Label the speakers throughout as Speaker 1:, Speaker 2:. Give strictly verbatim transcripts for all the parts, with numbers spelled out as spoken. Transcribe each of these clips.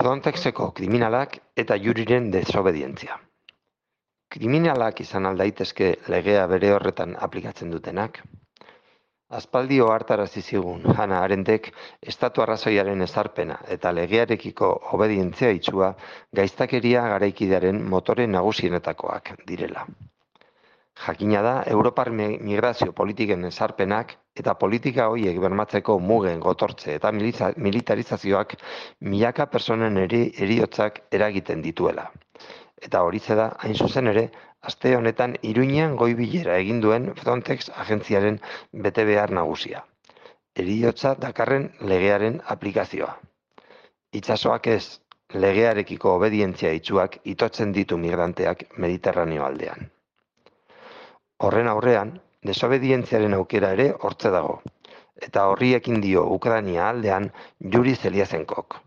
Speaker 1: Frontexeko kriminalak eta juriren desobedientzia. Kriminalak izan aldaitezke legea bere horretan aplikatzen dutenak. Aspaldi ohartarazi zigun Hannah Arendtek estatu arrazoiaren ezarpena eta legearekiko obedientzia itsua gaiztakeria garaikidearen motore nagusienetakoak direla. Jakina da Europar migrazio politiken ezarpenak eta politika horiek bermatzeko mugen gotortze eta militarizazioak milaka personen eri, eriotzak eragiten dituela. Eta horize da, hain zuzen ere, aste honetan Iruñean goi-bilera egin duen Frontex agentziaren betebehar nagusia. Heriotza dakarren legearen aplikazioa. Itsasoak ez, legearekiko obedientzia itsuak itotzen ditu migranteak Mediterraneo aldean. Horren aurrean, desobedientziaren aukera ere hortze dago, eta horri ekin dio Ukraina aldean Yuri Zeliazenkok.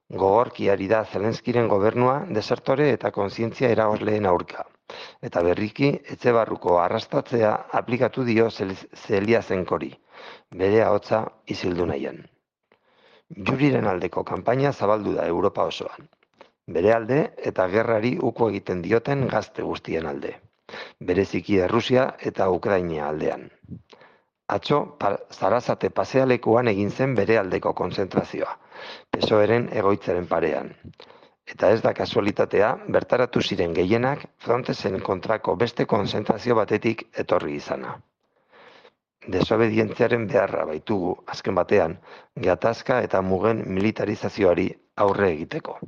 Speaker 1: Gogorki ari da Zelenskiren gobernua desertore eta kontzientzia eragozleen aurka, eta berriki etxe barruko arrastatzea aplikatu dio Zeliazenkori, bere ahotsa isildu nahian. Yuriren aldeko kanpaina zabaldu da Europa osoan, bere alde eta gerrari uko egiten dioten gazte guztien alde. Bereziki Errusia eta Ukraina aldean. Atzo, Zarazate pasealekuan egin zen bere aldeko konzentrazioa, P S O E-ren egoitzaren parean. Eta ez da kasualitatea, bertaratu ziren gehienak Frontexen kontrako beste konzentrazio batetik etorri izana. Desobedientziaren beharra baitugu, azken batean, gatazka eta mugen militarizazioari aurre egiteko.